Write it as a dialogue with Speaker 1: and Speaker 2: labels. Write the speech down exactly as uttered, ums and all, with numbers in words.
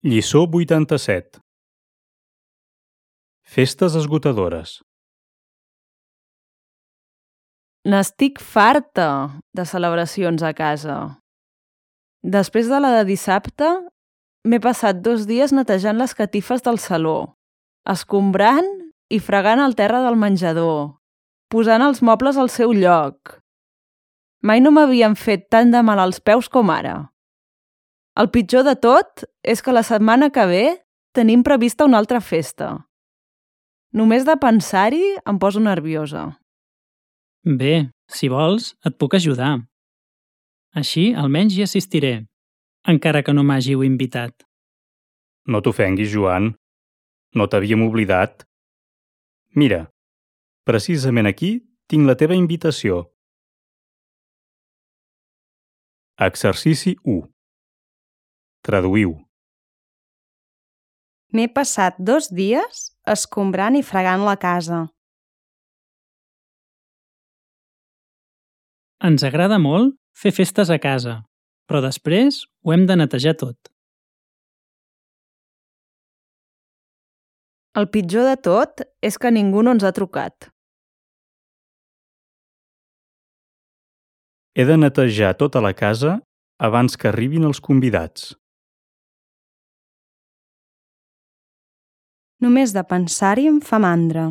Speaker 1: Lliçó vuitanta-set. Festes esgotadores.
Speaker 2: N'estic farta de celebracions a casa. Després de la de dissabte, m'he passat dos dies netejant les catifes del saló, escombrant i fregant el terra del menjador, posant els mobles al seu lloc. Mai no m'havien fet tant de mal als peus com ara. El pitjor de tot és que la setmana que ve tenim prevista una altra festa. Només de pensar-hi em poso nerviosa.
Speaker 3: Bé, si vols, et puc ajudar. Així almenys hi assistiré, encara que no m'hàgiu invitat.
Speaker 1: No t'ofenguis, Joan. No t'havíem oblidat. Mira, precisament aquí tinc la teva invitació. Exercici u. Traduïu.
Speaker 4: M'he passat dos dies escombrant i fregant la casa.
Speaker 3: Ens agrada molt fer festes a casa, però després ho hem de netejar tot.
Speaker 2: El pitjor de tot és que ningú no ens ha trucat.
Speaker 1: He de netejar tota la casa abans que arribin els convidats.
Speaker 4: Només de pensar-hi em fa mandra.